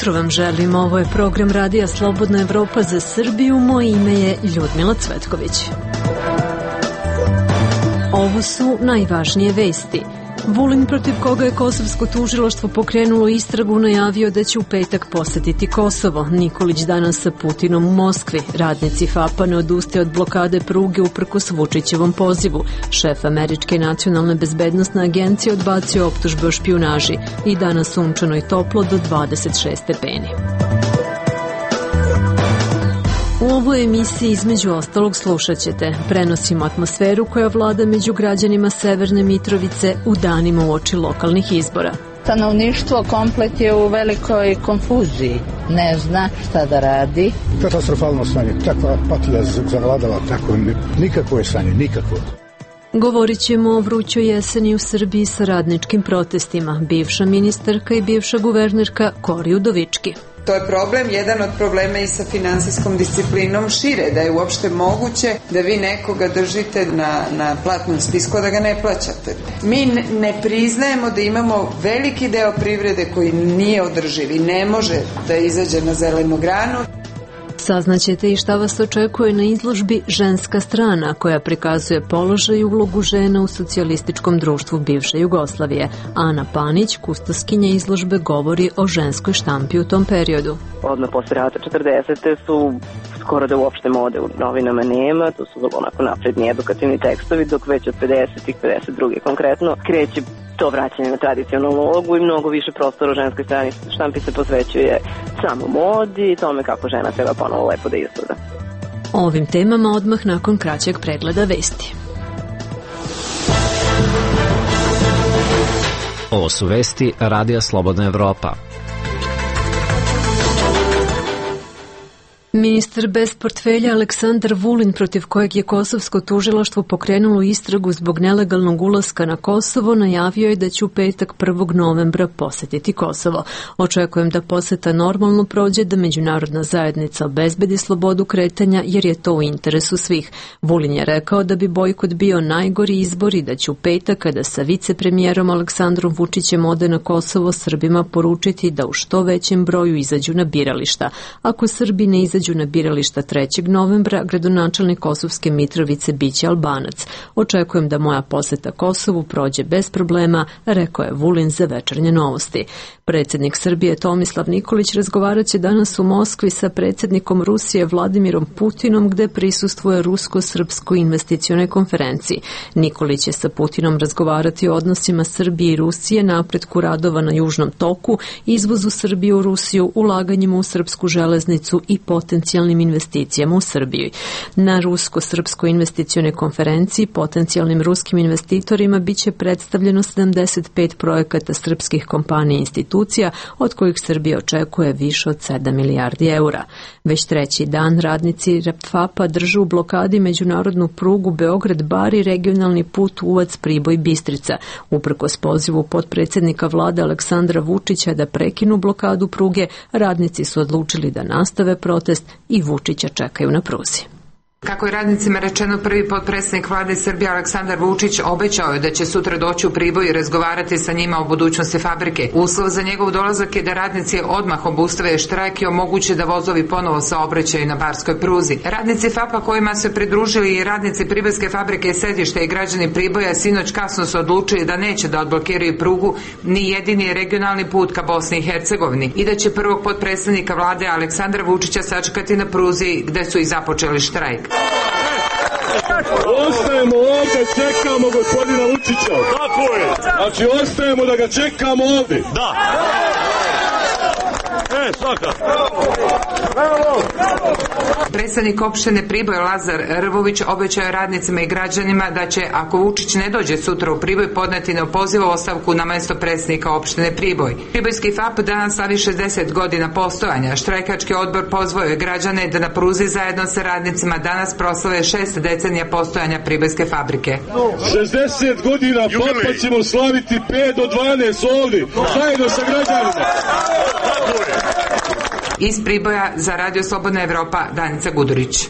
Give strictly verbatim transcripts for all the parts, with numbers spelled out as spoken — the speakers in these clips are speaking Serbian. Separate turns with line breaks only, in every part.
jutro vam želim. Ovo je program Radija Slobodna Evropa za Srbiju. Moje ime je Ljudmila Cvetković. Ovo su najvažnije vesti. Vulin, protiv koga je kosovsko tužilaštvo pokrenulo istragu, najavio da će u petak posetiti Kosovo. Nikolić danas sa Putinom u Moskvi. Radnici FAP-a ne odustaje od blokade pruge uprkos Vučićevom pozivu. Šef Američke nacionalne bezbednosne agencije odbacio optužbe o špijunaži. I danas sunčano i toplo do dvadeset šest stepeni. U ovoj emisiji između ostalog slušat ćete. Prenosimo atmosferu koja vlada među građanima Severne Mitrovice u danima uoči lokalnih izbora.
Stanovništvo komplet je u velikoj konfuziji. Ne zna šta da radi.
Katastrofalno stanje. Takva apatija zavladala, tako nikakvo je stanje, nikakvo.
Govorit ćemo o vrućoj jeseni u Srbiji sa radničkim protestima. Bivša ministarka i bivša guvernerka Kori Udovički.
To je problem, jedan od problema i sa finansijskom disciplinom šire, da je uopšte moguće da vi nekoga držite na, na platnom spisku, da ga ne plaćate. Mi ne priznajemo da imamo veliki deo privrede koji nije održiv i ne može da izađe na zelenu granu.
Saznaćete i šta vas očekuje na izložbi Ženska strana, koja prikazuje položaj i ulogu žena u socijalističkom društvu bivše Jugoslavije. Ana Panić, kustoskinja izložbe, govori o ženskoj štampi u tom periodu.
Odmah posle rata četrdesete su skoro da uopšte mode u novinama nema, to su onako napredni edukativni tekstovi, dok već od pedesetih, pedeset druge konkretno, kreće to vraćanje na tradicionalnu ulogu i mnogo više prostora u ženskoj strani štampi se posvećuje samo modi i tome kako žena treba ponovo lepo da izgleda.
O ovim temama odmah nakon kraćeg pregleda vesti.
Ovo su vesti Radija Slobodna Evropa.
Ministar bez portfelja Aleksandar Vulin, protiv kojeg je kosovsko tužilaštvo pokrenulo istragu zbog nelegalnog ulaska na Kosovo, najavio je da će u petak prvog novembra posetiti Kosovo. Očekujem da poseta normalno prođe, da međunarodna zajednica obezbedi slobodu kretanja, jer je to u interesu svih. Vulin je rekao da bi bojkot bio najgori izbor i da će u petak, kada sa vicepremijerom Aleksandrom Vučićem ode na Kosovo, Srbima poručiti da u što većem broju izađu na birališta. Ako Srbi ne izađu na birališta trećeg novembra, gradonačelnik Kosovske Mitrovice biće Albanac. Očekujem da moja poseta Kosovu prođe bez problema, rekao je Vulin za Večernje novosti. Predsjednik Srbije Tomislav Nikolić razgovarat će danas u Moskvi sa predsjednikom Rusije Vladimirom Putinom, gde prisustvuje rusko-srpskoj investicionoj konferenciji. Nikolić će sa Putinom razgovarati o odnosima Srbije i Rusije, napretku radova na Južnom toku, izvozu Srbije u Rusiju, ulaganjima u srpsku železnicu i potencijalnim investicijama u Srbiji. Na rusko-srpskoj investicionoj konferenciji potencijalnim ruskim investitorima biće predstavljeno sedamdeset pet projekata srpskih kompanija i institucija, od kojih Srbija očekuje više od sedam milijardi eura. Već treći dan radnici FAP-a drže u blokadi međunarodnu prugu Beograd-Bar i regionalni put Uvac-Priboj-Bistrica. Uprkos pozivu potpredsjednika vlade Aleksandra Vučića da prekinu blokadu pruge, radnici su odlučili da nastave protest i Vučića čekaju na pruzi.
Kako je radnicima rečeno, prvi potpredsjednik vlade Srbije Aleksandar Vučić obećao je da će sutra doći u Priboj i razgovarati sa njima o budućnosti fabrike. Uslov za njegov dolazak je da radnici odmah obustave štrajk i omoguće da vozovi ponovo saobraćaju na barskoj pruzi. Radnici FAP-a kojima se pridružili i radnici Pribojske fabrike Sedište i građani Priboja sinoć kasno su odlučili da neće da odblokiraju prugu ni jedini regionalni put ka Bosni i Hercegovini i da će prvog potpredsjednika vlade Aleksandra Vučića sačekati na pruzi gde su i započeli štrajk.
Ostajemo ovdje, čekamo gospodina Vučića. Tako je. Znači, ostajemo da ga čekamo ovdje. Da. E, svaka. Bravo.
Predstavnik opštine Priboj Lazar Rvović obećao je radnicima i građanima da će, ako Vučić ne dođe sutra u Priboj, podneti neopozivu ostavku na mesto predsjednika opštine Priboj. Pribojski FAP danas slavi šezdeset godina postojanja. Štrajkački odbor pozvao je građane da na pruzi zajedno sa radnicima danas proslave šest decenija postojanja Pribojske fabrike.
šezdeset godina FAP-a ćemo slaviti pet do dvanaest ovdje, zajedno sa građanima.
Iz Priboja za Radio Slobodna Evropa, Danica Gudurić.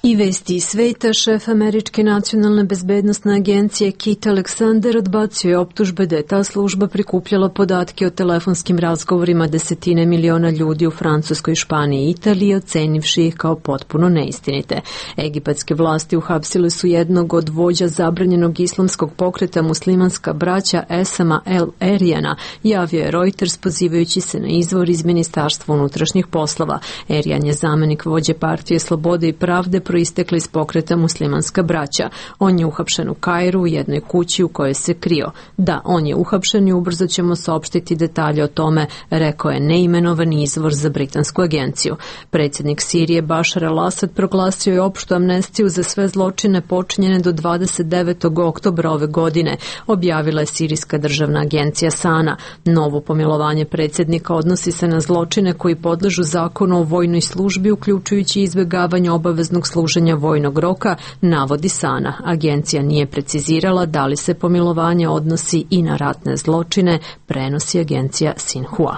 I vesti iz sveta, šef Američke nacionalne bezbednostne agencije Keith Alexander odbacio je optužbe da je ta služba prikupljala podatke o telefonskim razgovorima desetine miliona ljudi u Francuskoj, Španiji i Italiji, ocenivši ih kao potpuno neistinite. Egipatske vlasti uhapsile su jednog od vođa zabranjenog islamskog pokreta muslimanska braća Esama El Erijana, javio je Reuters pozivajući se na izvor iz Ministarstva unutrašnjih poslova. Erijan je zamenik vođe partije Slobode i pravde proistekli iz pokreta muslimanska braća. On je uhapšen u Kairu u jednoj kući u kojoj se krio. Da, on je uhapšen i ubrzo ćemo saopštiti detalje o tome, rekao je neimenovani izvor za britansku agenciju. Predsjednik Sirije Bašar al-Asad proglasio je opštu amnestiju za sve zločine počinjene do dvadeset devetog oktobra ove godine, objavila je sirijska državna agencija Sana. Novo pomilovanje predsjednika odnosi se na zločine koji podležu zakonu o vojnoj službi, uključujući izbjegavanje obaveznog služenja vojnog roka, navodi Sana. Agencija nije precizirala da li se pomilovanje odnosi i na ratne zločine, prenosi agencija Sinhua.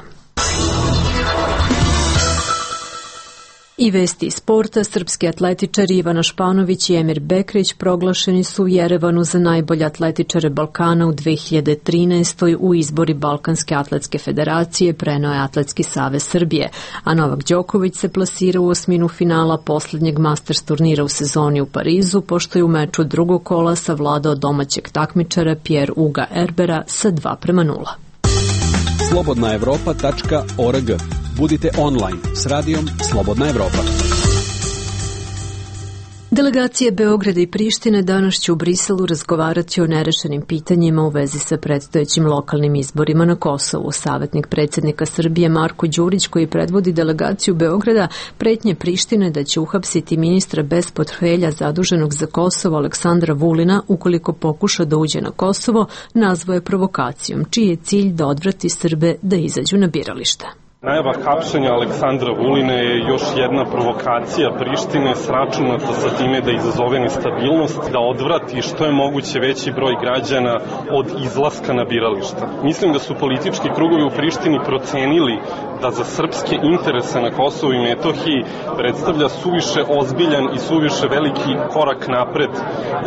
I vesti iz sporta, srpski atletičari Ivana Španović i Emir Bekrić proglašeni su u Jerevanu za najbolje atletičare Balkana u dve hiljade trinaestoj u izbori Balkanske atletske federacije, preneo je Atletski savez Srbije, a Novak Đoković se plasira u osminu finala posljednjeg Masters turnira u sezoni u Parizu, pošto je u meču drugog kola savladao domaćeg takmičara Pierre Uga Erbera sa dva prema nula.
slobodna evropa tačka org. Budite online s radijom Slobodna Evropa.
Delegacije Beograda i Prištine danas će u Briselu razgovarati o nerešenim pitanjima u vezi sa predstojećim lokalnim izborima na Kosovu. Savjetnik predsjednika Srbije Marko Đurić, koji predvodi delegaciju Beograda, pretnje Prištine da će uhapsiti ministra bez portfelja zaduženog za Kosovo Aleksandra Vulina ukoliko pokuša da uđe na Kosovo, nazvao je provokacijom, čiji je cilj da odvrati Srbe da izađu na birališta.
Najava hapšenja Aleksandra Vuline je još jedna provokacija Prištine sračunata sa time da izazove nestabilnost, da odvrati što je moguće veći broj građana od izlaska na birališta. Mislim da su politički krugovi u Prištini procenili da za srpske interese na Kosovu i Metohiji predstavlja suviše ozbiljan i suviše veliki korak napred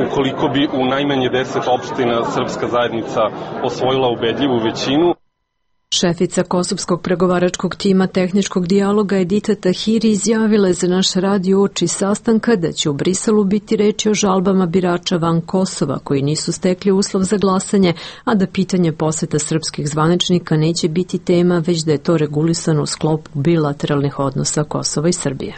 ukoliko bi u najmanje deset opština srpska zajednica osvojila ubedljivu većinu.
Šefica kosovskog pregovaračkog tima tehničkog dijaloga Edita Tahiri izjavila je za naš radio uoči sastanka da će u Briselu biti reči o žalbama birača van Kosova koji nisu stekli uslov za glasanje, a da pitanje poseta srpskih zvaničnika neće biti tema, već da je to regulisano u sklopu bilateralnih odnosa Kosova i Srbije.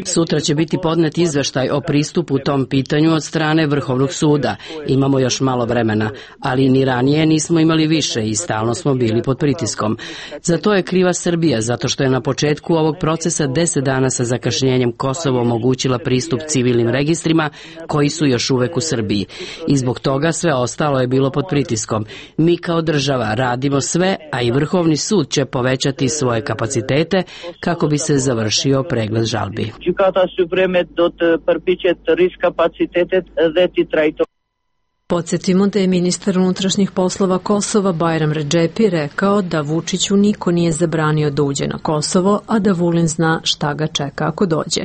Sutra će biti podnet izveštaj o pristupu tom pitanju od strane Vrhovnog suda. Imamo još malo vremena, ali ni ranije nismo imali više i stalno smo bili pod pritiskom. Za to je kriva Srbija, zato što je na početku ovog procesa deset dana sa zakašnjenjem Kosovo omogućila pristup civilnim registrima koji su još uvek u Srbiji. I zbog toga sve ostalo je bilo pod pritiskom. Mi kao država radimo sve, a i Vrhovni sud će povećati svoje kapacitete kako bi se završio pregled žalbi.
Podsjetimo da je ministar unutrašnjih poslova Kosova Bajram Redžepi rekao da Vučiću niko nije zabranio da uđe na Kosovo, a da Vulin zna šta ga čeka ako dođe.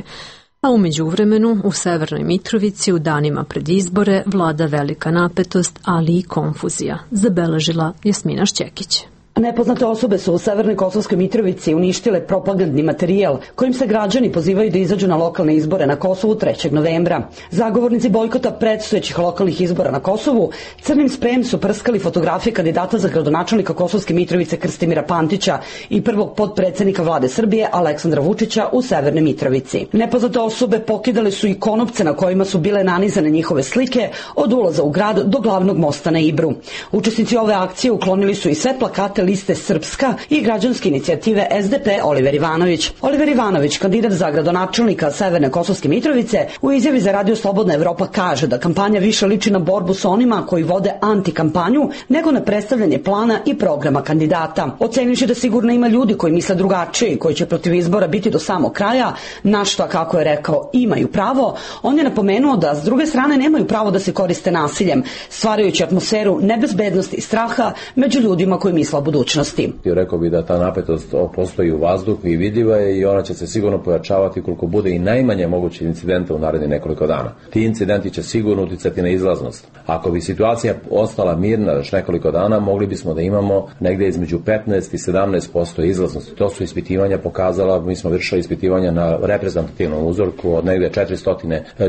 A u međuvremenu u Severnoj Mitrovici u danima pred izbore vlada velika napetost, ali i konfuzija, zabeležila Jasmina Šćekić.
Nepoznate osobe su u Severnoj Kosovskoj Mitrovici uništile propagandni materijal kojim se građani pozivaju da izađu na lokalne izbore na Kosovu trećeg novembra. Zagovornici bojkota predstojećih lokalnih izbora na Kosovu crnim sprejem su prskali fotografije kandidata za gradonačelnika Kosovske Mitrovice Krstimira Pantića i prvog potpredsednika vlade Srbije Aleksandra Vučića u Severnoj Mitrovici. Nepoznate osobe pokidale su i konopce na kojima su bile nanizane njihove slike od ulaza u grad do glavnog mosta na Ibru. Učesnici ove akcije uklonili su i sve plakate liste Srpska i građanske inicijative S D P Oliver Ivanović. Oliver Ivanović, kandidat za gradonačelnika Severne Kosovske Mitrovice, u izjavi za Radio Slobodna Evropa kaže da kampanja više liči na borbu sa onima koji vode antikampanju nego na predstavljanje plana i programa kandidata. Ocenivši da sigurno ima ljudi koji misle drugačije i koji će protiv izbora biti do samog kraja, na što, kako je rekao, imaju pravo, on je napomenuo da s druge strane nemaju pravo da se koriste nasiljem, stvarajući atmosferu nebezbednosti i straha među ljudima koji misle o budućnosti budućnosti.
Rekao bih da ta napetost postoji u vazduhu i vidljiva je i ona će se sigurno pojačavati koliko bude i najmanje moguće incidenta u narednih nekoliko dana. Ti incidenti će sigurno uticati na izlaznost. Ako bi situacija ostala mirna još nekoliko dana, mogli bismo da imamo negde između petnaest i sedamnaest posto izlaznosti. To su ispitivanja pokazala, mi smo vršili ispitivanja na reprezentativnom uzorku od negde četiristo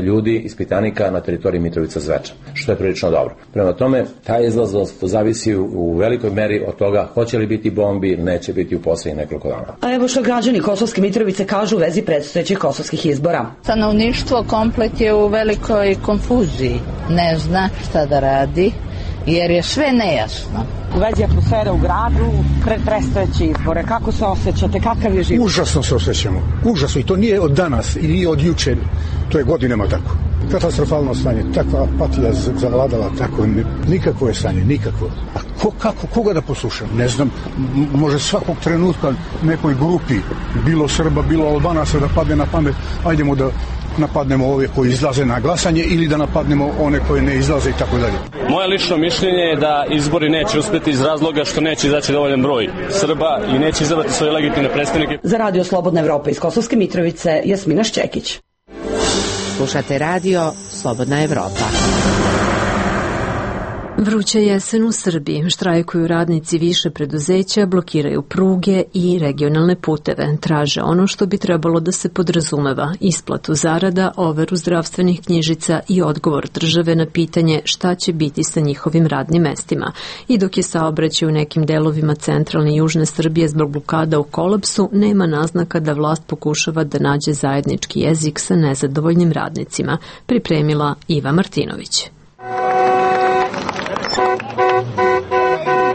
ljudi, ispitanika na teritoriji Mitrovica Zvečan, što je prilično dobro. Prema tome, ta izlaznost zavisi u velikoj meri od toga hoće li biti bombi ili neće biti u poslednjih nekoliko dana.
A evo što građani Kosovske Mitrovice kažu u vezi predstojećih kosovskih izbora.
Stanovništvo komplet je u velikoj konfuziji. Ne zna šta da radi, jer je sve nejasno.
U vezi atmosfere u gradu, pred predstojeće izbore, kako se osjećate, kakav je život?
Užasno se osjećamo, užasno, i to nije od danas i nije od juče, to je godinama tako. Katastrofalno stanje, takva apatija zavladala, tako nikakvo je stanje, nikakvo. A ko, kako, koga da poslušam? Ne znam, može svakog trenutka nekoj grupi, bilo Srba, bilo Albanaca da padne na pamet, ajdemo da napadnemo ove koji izlaze na glasanje ili da napadnemo one koje ne izlaze i tako dalje.
Moje lično mišljenje je da izbori neće uspjeti iz razloga što neće izaći dovoljan broj Srba i neće izabrati svoje legitimne predstavnike.
Za Radio Slobodna Evropa iz Kosovske Mitrovice, Jasmina Šćekić.
Slušate Radio Slobodna Evropa.
Vruća jesen u Srbiji. Štrajkuju radnici više preduzeća, blokiraju pruge i regionalne puteve. Traže ono što bi trebalo da se podrazumeva: isplatu zarada, overu zdravstvenih knjižica i odgovor države na pitanje šta će biti sa njihovim radnim mestima. I dok je saobraćaj u nekim delovima centralne i južne Srbije zbog blokada u kolapsu, nema naznaka da vlast pokušava da nađe zajednički jezik sa nezadovoljnim radnicima. Pripremila Iva Martinović.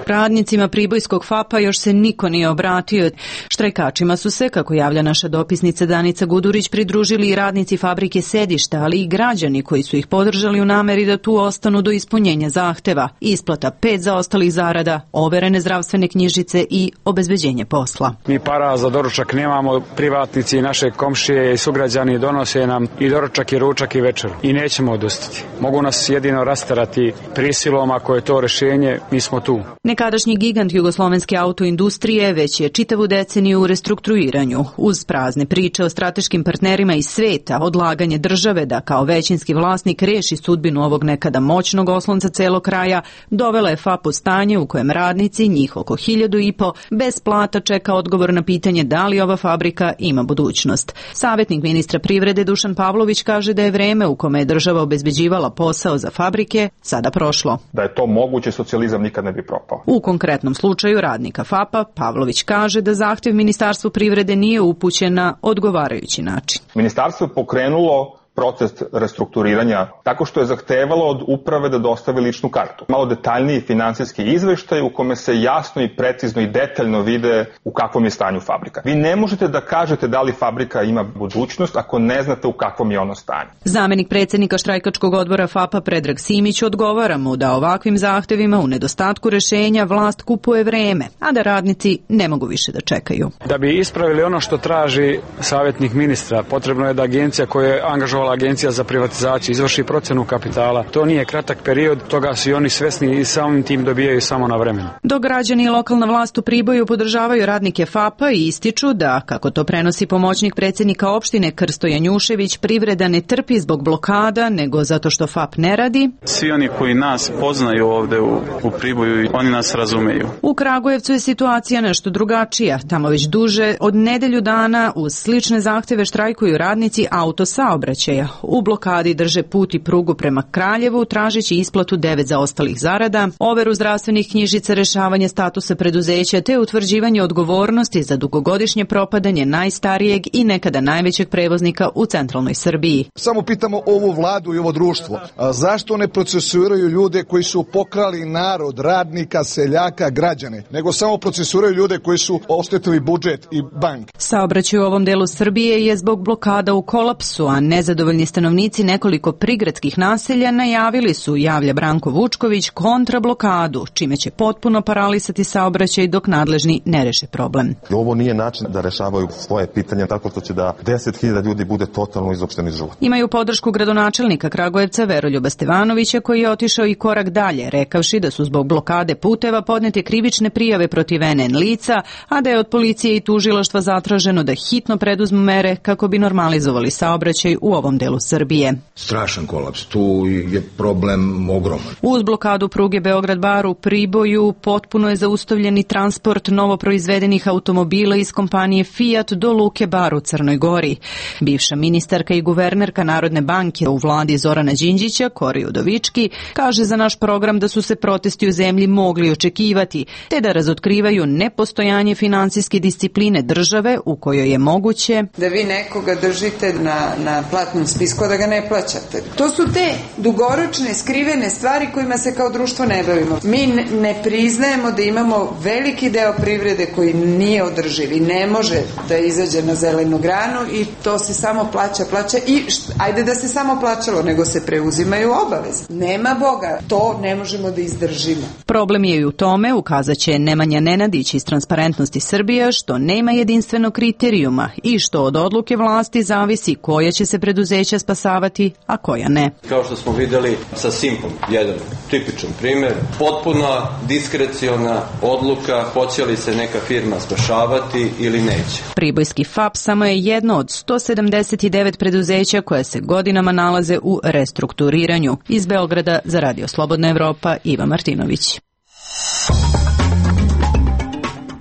Radnicima pribojskog FAP-a još se niko nije obratio. Štrajkačima su se, kako javlja naša dopisnica Danica Gudurić, pridružili i radnici fabrike Sedišta, ali i građani koji su ih podržali u nameri da tu ostanu do ispunjenja zahteva. Isplata pet zaostalih zarada, overene zdravstvene knjižice i obezbeđenje posla.
Mi para za doručak nemamo, privatnici i naše komšije i sugrađani donose nam i doručak i ručak i večer. I nećemo odustati. Mogu nas jedino rasterati prisilom, ako je to rešenje, mi smo tu.
Nekadašnji gigant jugoslovenske autoindustrije već je čitavu deceniju u restrukturiranju. Uz prazne priče o strateškim partnerima iz sveta, odlaganje države da kao većinski vlasnik reši sudbinu ovog nekada moćnog oslonca celog kraja, dovela je FAP u stanje u kojem radnici, njih oko hiljadu i po, bez plata čeka odgovor na pitanje da li ova fabrika ima budućnost. Savjetnik ministra privrede Dušan Pavlović kaže da je vreme u kome je država obezbeđivala posao za fabrike sada prošlo.
Da je to moguće, socijalizam nikad ne bi propao.
U konkretnom slučaju radnika FAP-a, Pavlović kaže da zahtev Ministarstvu privrede nije upućen na odgovarajući način.
Ministarstvo je pokrenulo proces restrukturiranja tako što je zahtevalo od uprave da dostavi ličnu kartu. Malo detaljniji finansijski izveštaj u kome se jasno i precizno i detaljno vide u kakvom je stanju fabrika. Vi ne možete da kažete da li fabrika ima budućnost ako ne znate u kakvom je ono stanju.
Zamenik predsjednika štrajkačkog odbora FAP-a Predrag Simić odgovara mu da ovakvim zahtevima u nedostatku rešenja vlast kupuje vreme, a da radnici ne mogu više da čekaju.
Da bi ispravili ono što traži savjetnik ministra, potrebno je da agencija koja je angažovala Agencija za privatizaciju izvrši procenu kapitala. To nije kratak period, toga su i oni svesni i samim tim dobijaju samo na vremenu.
Dok građani i lokalna vlast u Priboju podržavaju radnike FAP-a i ističu da, kako to prenosi pomoćnik predsjednika opštine Krsto Janjušević, privreda ne trpi zbog blokada, nego zato što FAP ne radi.
Svi oni koji nas poznaju ovde u, u Priboju, oni nas razumeju.
U Kragujevcu je situacija nešto drugačija. Tamo već duže od nedelju dana uz slične zahteve štrajkuju radnici autosaobraćaja. U blokadi drže put i prugu prema Kraljevu, tražeći isplatu devet zaostalih zarada, overu zdravstvenih knjižica, rešavanje statusa preduzeća te utvrđivanje odgovornosti za dugogodišnje propadanje najstarijeg i nekada najvećeg prevoznika u centralnoj Srbiji.
Samo pitamo ovu vladu i ovo društvo, a zašto ne procesuiraju ljude koji su pokrali narod, radnika, seljaka, građane, nego samo procesuiraju ljude koji su oštetili budžet i bank.
Saobraćaj u ovom delu Srbije je zbog blokada u kolapsu, a nezadovoljno Nezadovoljni stanovnici nekoliko prigradskih naselja najavili su, javlja Branko Vučković, kontrablokadu, čime će potpuno paralisati saobraćaj dok nadležni ne reše problem.
Ovo nije način da rešavaju svoje pitanja tako što će da deset hiljada ljudi bude totalno izopšteni iz života.
Imaju podršku gradonačelnika Kragujevca Veroljuba Stevanovića, koji je otišao i korak dalje, rekavši da su zbog blokade puteva podnete krivične prijave protiv en en lica, a da je od policije i tužilaštva zatraženo da hitno preduzmu mere kako bi normalizovali saobraćaj u ovom delu Srbije.
Strašan kolaps, tu je problem ogroman.
Uz blokadu pruge Beograd-Bar u Priboju potpuno je zaustavljeni transport novoproizvedenih automobila iz kompanije Fiat do Luke Bar u Crnoj Gori. Bivša ministarka i guvernerka Narodne banke u vladi Zorana Đinđića, Kori Udovički, kaže za naš program da su se protesti u zemlji mogli očekivati, te da razotkrivaju nepostojanje finansijske discipline države u kojoj je moguće
da vi nekoga držite na, na platnom spisku, da ga ne plaćate. To su te dugoročne, skrivene stvari kojima se kao društvo ne bavimo. Mi ne priznajemo da imamo veliki deo privrede koji nije održiv i ne može da izađe na zelenu granu i to se samo plaća, plaća i št, ajde da se samo plaćalo, nego se preuzimaju obaveze. Nema Boga, to ne možemo da izdržimo.
Problem je i u tome, ukazaće Nemanja Nenadić iz Transparentnosti Srbije, što nema jedinstvenog kriterijuma i što od odluke vlasti zavisi koja će se preduzeća spasavati, a koja ne.
Kao što smo videli sa Simpom, jedan tipičan primjer, potpuna diskreciona odluka hoće li se neka firma spašavati ili neće.
Pribojski F A P samo je jedno od sto sedamdeset devet preduzeća koje se godinama nalaze u restrukturiranju. Iz Beograda za Radio Slobodna Evropa, Iva Martinović.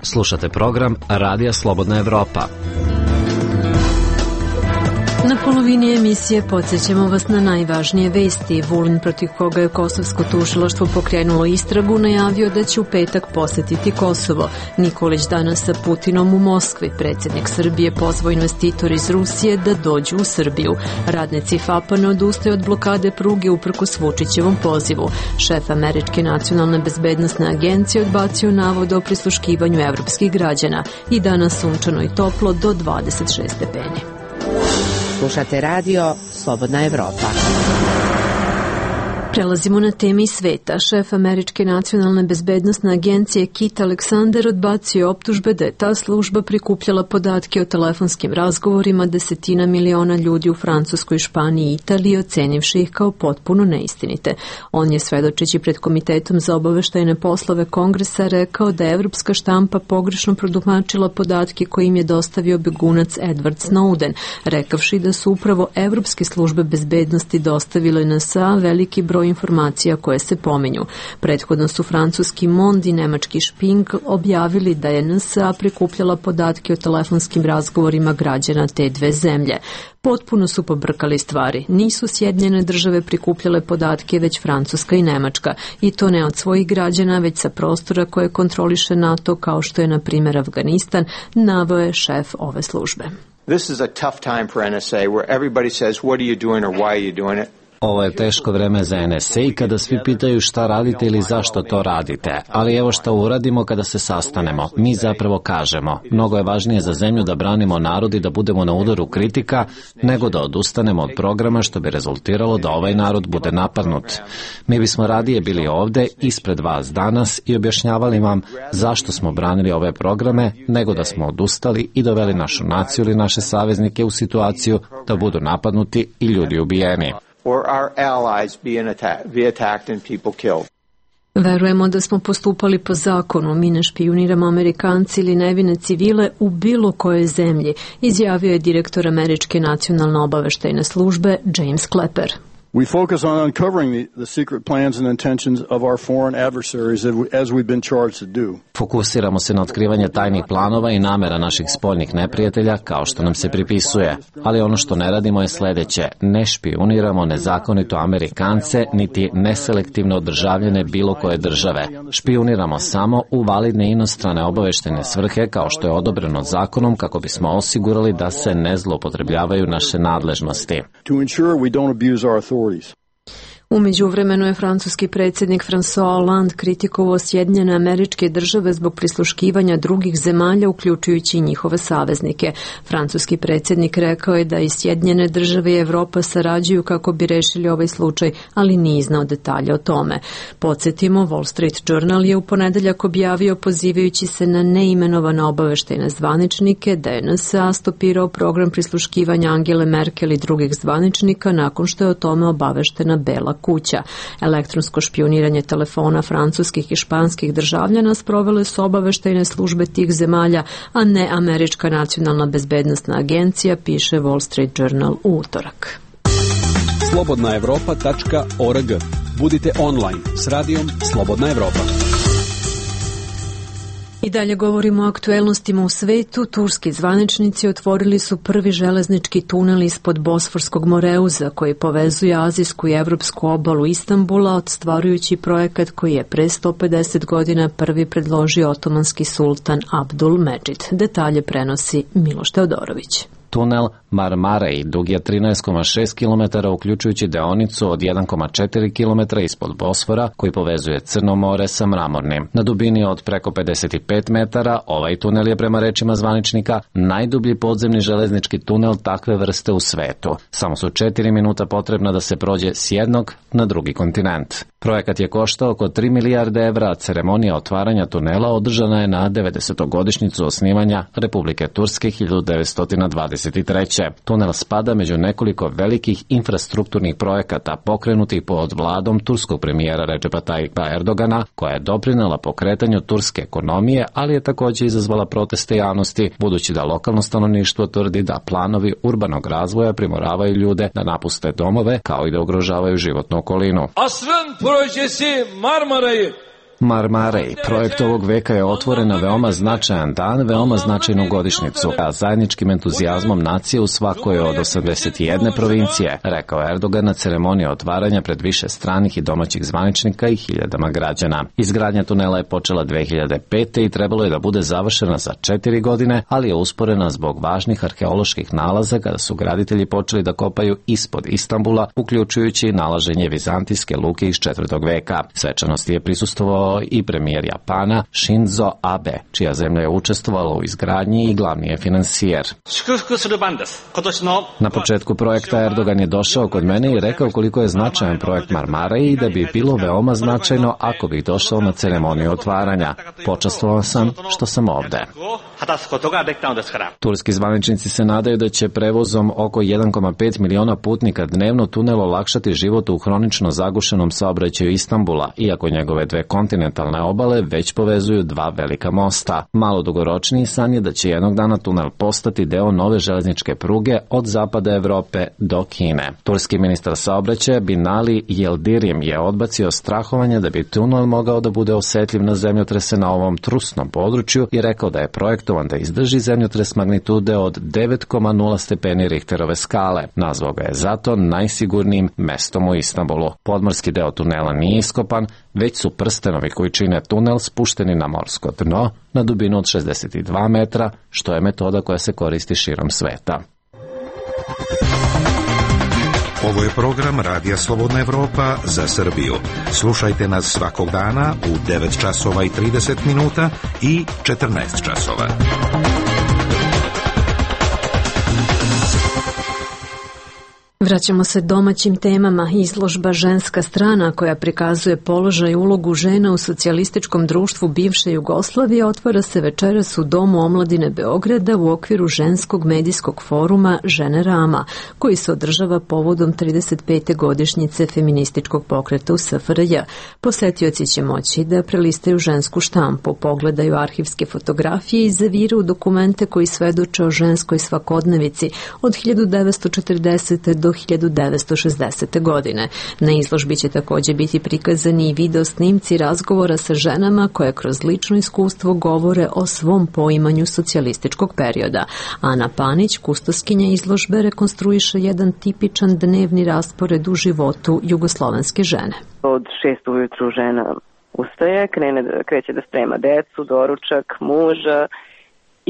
Slušate program Radija Slobodna Evropa.
Na polovini emisije podsjećamo vas na najvažnije vesti. Vulin, protiv koga je kosovsko tužilaštvo pokrenulo istragu, najavio da će u petak posetiti Kosovo. Nikolić danas sa Putinom u Moskvi. Predsjednik Srbije pozvao investitor iz Rusije da dođu u Srbiju. Radnici F A P-a ne odustaju od blokade pruge uprkos Vučićevom pozivu. Šef Američke nacionalne bezbednosne agencije odbacio navod o prisluškivanju evropskih građana. I danas sunčano i toplo do dvadeset šest stepeni.
Slušate radio Slobodna Evropa.
Prelazimo na temi sveta. Šef Američke nacionalne bezbednosne agencije Kit Alexander odbacio optužbe da je ta služba prikupljala podatke o telefonskim razgovorima desetina miliona ljudi u Francuskoj, Španiji i Italiji, ocenivši ih kao potpuno neistinite. On je, svedočeći pred Komitetom za obaveštajne poslove Kongresa, rekao da je evropska štampa pogrešno protumačila podatke koje im je dostavio begunac Edward Snowden, rekavši da su upravo evropske službe bezbednosti dostavile N S A veliki broj informacija koje se pominju. Prethodno su francuski Mond i nemački Šping objavili da je N S A prikupljala podatke o telefonskim razgovorima građana te dve zemlje. Potpuno su pobrkali stvari. Nisu Sjedinjene države prikupljale podatke, već Francuska i Nemačka. I to ne od svojih građana, već sa prostora koje kontroliše NATO, kao što je, na primjer, Afganistan, naveo je šef ove službe.
This is a tough time for N S A where everybody says what are you doing or why are you doing it?
Ovo je teško vreme za N S A i kada svi pitaju šta radite ili zašto to radite. Ali evo šta uradimo kada se sastanemo. Mi zapravo kažemo, mnogo je važnije za zemlju da branimo narod i da budemo na udaru kritika, nego da odustanemo od programa što bi rezultiralo da ovaj narod bude napadnut. Mi bismo radije bili ovde, ispred vas danas i objašnjavali vam zašto smo branili ove programe, nego da smo odustali i doveli našu naciju ili naše saveznike u situaciju da budu napadnuti i ljudi ubijeni.
Or our allies being attacked, be attacked and people killed.
Verujemo da smo postupali po zakonu, mi ne špijuniramo Amerikanci ili nevine civile u bilo kojoj zemlji, izjavio je direktor Američke nacionalne obaveštajne službe James Clapper.
We focus on uncovering the, the secret plans and intentions of our foreign adversaries as we've been charged to do.
Fokusiramo se na otkrivanje tajnih planova i namera naših spoljnih neprijatelja, kao što nam se pripisuje. Ali ono što ne radimo je sledeće. Ne špijuniramo nezakonito Amerikance, niti neselektivno državljane bilo koje države. Špijuniramo samo u validne inostrane obaveštajne svrhe, kao što je odobreno zakonom, kako bismo osigurali da se ne zloupotrebljavaju naše nadležnosti.
To ensure we don't abuse our authorities.
U međuvremenu je francuski predsjednik François Hollande kritikovao Sjedinjene Američke Države zbog prisluškivanja drugih zemalja, uključujući i njihove saveznike. Francuski predsjednik rekao je da i Sjedinjene Države i Evropa sarađuju kako bi rešili ovaj slučaj, ali nije iznao detalje o tome. Podsjetimo, Wall Street Journal je u ponedeljak objavio, pozivajući se na neimenovane obaveštajne zvaničnike, da je N S A stopirao program prisluškivanja Angele Merkel i drugih zvaničnika nakon što je o tome obaveštena Bela kuća. Elektronsko špijuniranje telefona francuskih i španskih državljana sprovele su obaveštajne službe tih zemalja, a ne Američka nacionalna bezbednosna agencija, piše Wall Street Journal u utorak.
slobodna evropa tačka org. Budite online s radijom Slobodna Evropa.
I dalje govorimo o aktuelnostima u svetu. Turski zvaničnici otvorili su prvi železnički tunel ispod Bosforskog moreuza koji povezuje azijsku i evropsku obalu Istanbula, ostvarujući projekat koji je pre sto pedeset godina prvi predložio otomanski sultan Abdul Medžid. Detalje prenosi Miloš Teodorović.
Tunel Marmarej dug je trinaest zarez šest kilometara, uključujući deonicu od jedan zarez četiri kilometra ispod Bosfora koji povezuje Crno more sa Mramornim. Na dubini od preko pedeset pet metara ovaj tunel je, prema rečima zvaničnika, najdublji podzemni železnički tunel takve vrste u svetu. Samo su četiri minuta potrebna da se prođe s jednog na drugi kontinent. Projekat je koštao oko tri milijarde evra, a ceremonija otvaranja tunela održana je na devedesetogodišnjicu osnivanja Republike Turske hiljadu devetsto dvadeset treće. Tunel spada među nekoliko velikih infrastrukturnih projekata pokrenutih pod vladom turskog premijera Recepa Tayyipa Erdogana, koja je doprinela pokretanju turske ekonomije, ali je također izazvala proteste javnosti, budući da lokalno stanovništvo tvrdi da planovi urbanog razvoja primoravaju ljude da napuste domove, kao i da ugrožavaju životnu okolinu.
Asrın projesi Marmara'yı
Marmarej, projekt ovog veka, je otvoren na veoma značajan dan, veoma značajnu godišnjicu, a zajedničkim entuzijazmom nacije u svakoj od osamdeset jedne provincije, rekao Erdogan na ceremoniji otvaranja pred više stranih i domaćih zvaničnika i hiljadama građana. Izgradnja tunela je počela dve hiljade pete i trebalo je da bude završena za četiri godine, ali je usporena zbog važnih arheoloških nalaza kada su graditelji počeli da kopaju ispod Istanbula, uključujući nalaženje vizantijske luke iz četvrtog veka. Svečanosti je prisustvovao i premijer Japana Shinzo Abe, čija zemlja je učestvovala u izgradnji i glavni je finansijer. Na početku projekta Erdogan je došao kod mene i rekao koliko je značajan projekt Marmarej i da bi bilo veoma značajno ako bih došao na ceremoniju otvaranja. Počastvovan sam što sam ovde. Turski zvaničnici se nadaju da će prevozom oko jedan zarez pet miliona putnika dnevno tunel olakšati život u hronično zagušenom saobraćaju Istanbula, iako njegove dve kontinentalne obale već povezuju dva velika mosta. Malo dugoročniji san je da će jednog dana tunel postati deo nove železničke pruge od zapada Evrope do Kine. Turski ministar saobraćaja Binali Yildirim je odbacio strahovanje da bi tunel mogao da bude osetljiv na zemljotrese na ovom trusnom području i rekao da je projektovan da izdrži zemljotres magnitude od devet zarez nula stepeni Richterove skale. Nazvao ga je zato najsigurnijim mestom u Istanbulu. Podmorski deo tunela nije iskopan, već su prstenovi koji čine tunel spušteni na morsko dno na dubinu od šezdeset dva metra, što je metoda koja se koristi širom sveta.
Ovo je program Radija Slobodna Evropa za Srbiju. Slušajte nas svakog dana u devet časova i trideset minuta i četrnaest časova.
Vraćamo se domaćim temama. Izložba Ženska strana, koja prikazuje položaj i ulogu žena u socijalističkom društvu bivše Jugoslavije, otvara se večeras u Domu omladine Beograda u okviru ženskog medijskog foruma Žene Rama, koji se održava povodom trideset pete godišnjice feminističkog pokreta u S F R J. Posetioci će moći da prelistaju žensku štampu, pogledaju arhivske fotografije i zaviraju dokumente koji svedoče o ženskoj svakodnevici od hiljadu devetsto četrdesete do hiljadu devetsto šezdesete godine. Na izložbi će također biti prikazani i video snimci razgovora sa ženama koje kroz lično iskustvo govore o svom poimanju socijalističkog perioda. Ana Panić, kustoskinja izložbe, rekonstruiše jedan tipičan dnevni raspored u životu jugoslovenske žene.
Od šest ujutru žena ustaje, krene, kreće da sprema decu, doručak, muža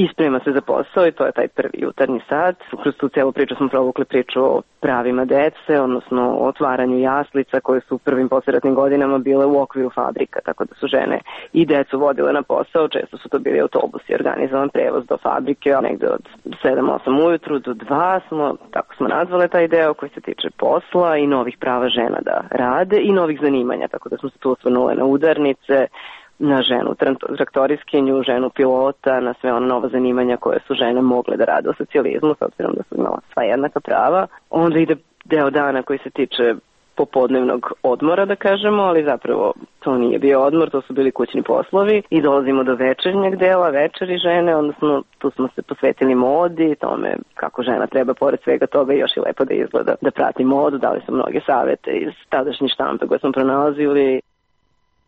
i sprema se za posao i to je taj prvi jutarnji sat. Kroz tu celu priču smo provukli priču o pravima dece, odnosno o otvaranju jaslica koje su u prvim posleratnim godinama bile u okviru fabrika, tako da su žene i decu vodile na posao, često su to bili autobusi, organizovan prevoz do fabrike, a negde od sedam osam ujutru do dva smo, tako smo nazvali taj deo koji se tiče posla i novih prava žena da rade i novih zanimanja, tako da smo se tu osvrnule na udarnice, na ženu traktoriskinju, ženu pilota, na sve ona nova zanimanja koje su žene mogle da rade u socijalizmu, s obzirom da su imala sva jednaka prava. Onda ide deo dana koji se tiče popodnevnog odmora, da kažemo, ali zapravo to nije bio odmor, to su bili kućni poslovi i dolazimo do večernjeg dela, večeri žene, odnosno tu smo se posvetili modi, tome kako žena treba pored svega toga još i lepo da izgleda, da prati modu, dali smo mnoge savete iz tadašnje štampe koje smo pronalazili.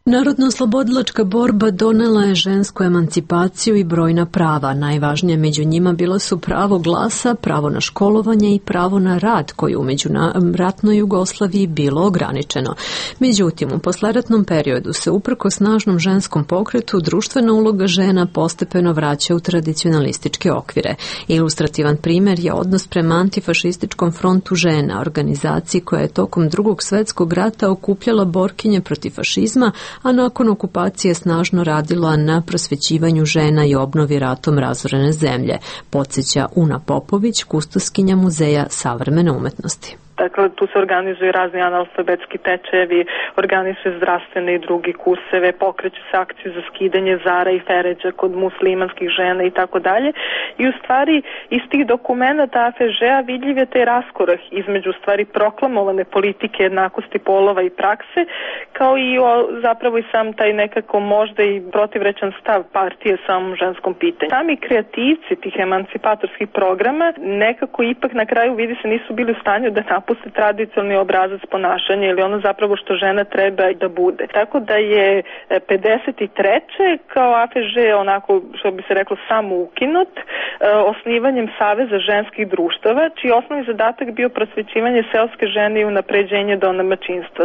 Narodno-oslobodilačka borba donela je žensku emancipaciju i brojna prava. Najvažnije među njima bila su pravo glasa, pravo na školovanje i pravo na rad, koje u međuratnoj Jugoslaviji bilo ograničeno. Međutim, u posleratnom periodu se uprko snažnom ženskom pokretu društvena uloga žena postepeno vraća u tradicionalističke okvire. Ilustrativan primjer je odnos prema antifašističkom frontu žena, organizaciji koja je tokom Drugog svjetskog rata okupljala borkinje protiv fašizma, a nakon okupacije snažno radila na prosvećivanju žena i obnovi ratom razorene zemlje, podsjeća Una Popović, kustoskinja Muzeja savremene umetnosti.
Dakle, tu se organizuju razni analfabetski tečajevi, organizuju zdravstvene i drugi kurseve, pokreću se akcije za skidanje zara i feređa kod muslimanskih žena i tako dalje. I u stvari iz tih dokumenta A F Ž-a vidljiv je taj raskorak između u stvari proklamovane politike jednakosti polova i prakse, kao i o, zapravo i sam taj nekako možda i protivrečan stav partije samom ženskom pitanju. Sami kreativci tih emancipatorskih programa nekako ipak na kraju vidi se nisu bili u stanju da napuste tradicionalni obrazac ponašanja ili ono zapravo što žena treba da bude. Tako da je pedeset treće kao A F Ž onako, što bi se reklo, samo ukinut osnivanjem Saveza ženskih društava, čiji osnovni zadatak bio prosvećivanje seoske žene i unapređenje domaćinstva.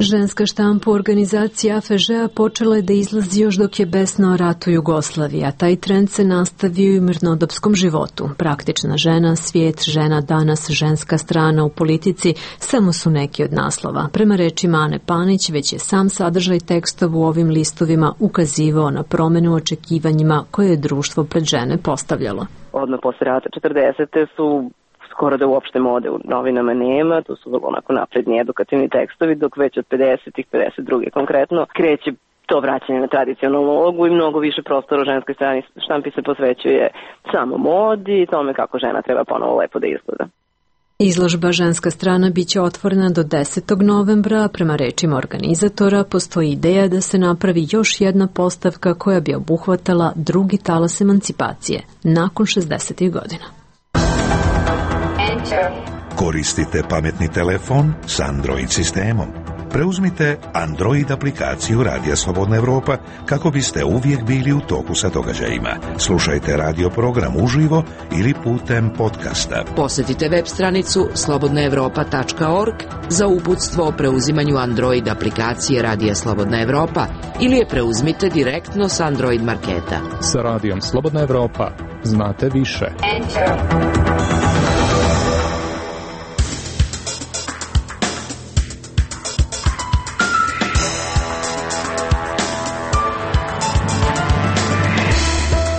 Ženska štampa u organizaciji A F Ž-a počela je da izlazi još dok je besnao rat u Jugoslaviji, a taj trend se nastavio i u mirnodopskom životu. Praktična žena, svijet, žena danas, ženska strana u politici samo su neki od naslova. Prema rečima Ane Panić, već je sam sadržaj tekstova u ovim listovima ukazivao na promenu u očekivanjima koje je društvo pred žene postavljalo.
Odmah posle rata četrdesete su skoro da uopšte mode u novinama nema, to su vrlo onako napredni edukativni tekstovi, dok već od pedesetih, pedeset druge konkretno, kreće to vraćanje na tradicionalnu ulogu i mnogo više prostora u ženskoj strani štampi se posvećuje samo modi i tome kako žena treba ponovo lepo da izgleda.
Izložba Ženska strana biće otvorena do desetog novembra, a prema rečima organizatora postoji ideja da se napravi još jedna postavka koja bi obuhvatala drugi talas emancipacije nakon šezdesetih godina.
Koristite pametni telefon s Android sistemom. Preuzmite Android aplikaciju Radija Slobodna Evropa kako biste uvijek bili u toku sa događajima. Slušajte radio program uživo ili putem podcasta.
Posjetite web stranicu slobodna evropa tačka org za uputstvo o preuzimanju Android aplikacije Radija Slobodna Evropa ili je preuzmite direktno s Android marketa.
Sa Radijom Slobodna Evropa znate više. Enter.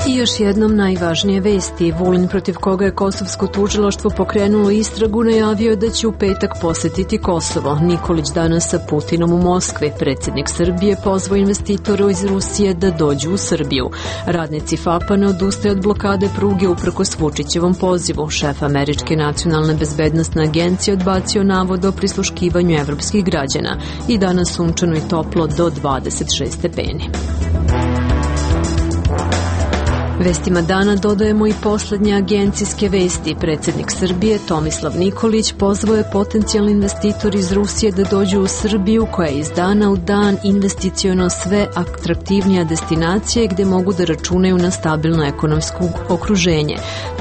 I još jednom najvažnije vesti. Vulin, protiv koga je kosovsko tužilaštvo pokrenulo istragu, najavio je da će u petak posjetiti Kosovo. Nikolić danas sa Putinom u Moskvi. Predsjednik Srbije pozvao investitore iz Rusije da dođu u Srbiju. Radnici F A P-a ne odustaje od blokade pruge uprkos Vučićevom pozivu. Šef Američke nacionalne bezbednosne agencije odbacio navod o prisluškivanju evropskih građana. I danas sunčano i toplo do dvadeset šest stepeni. Vestima dana dodajemo i posljednje agencijske vesti. Predsjednik Srbije Tomislav Nikolić pozvao je potencijalni investitor iz Rusije da dođu u Srbiju, koja je iz dana u dan investiciono sve atraktivnija destinacija gdje mogu da računaju na stabilno ekonomsko okruženje.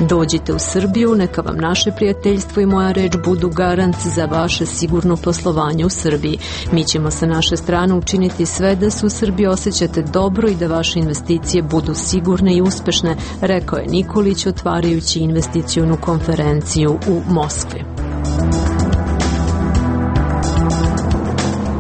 Dođite u Srbiju, neka vam naše prijateljstvo i moja reč budu garant za vaše sigurno poslovanje u Srbiji. Mi ćemo sa naše strane učiniti sve da se u Srbiji osjećate dobro i da vaše investicije budu sigurne i uspešne, uspešne, rekao je Nikolić otvarajući investicionu konferenciju u Moskvi.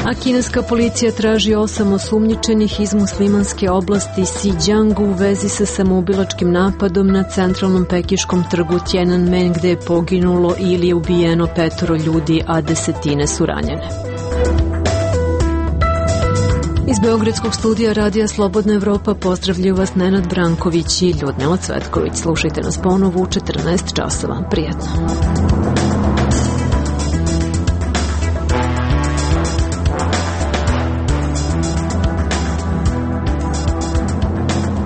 A kineska policija traži osam osumnjičenih iz muslimanske oblasti Xinjiang u vezi sa samoubilačkim napadom na centralnom pekiškom trgu Tiananmen gde je poginulo ili je ubijeno petoro ljudi, a desetine su ranjene. Iz Beogradskog studija Radija Slobodna Evropa pozdravljaju vas Nenad Branković i Ljudmila Cvetković. Slušajte nas ponovo u četrnaest časova. Prijetno.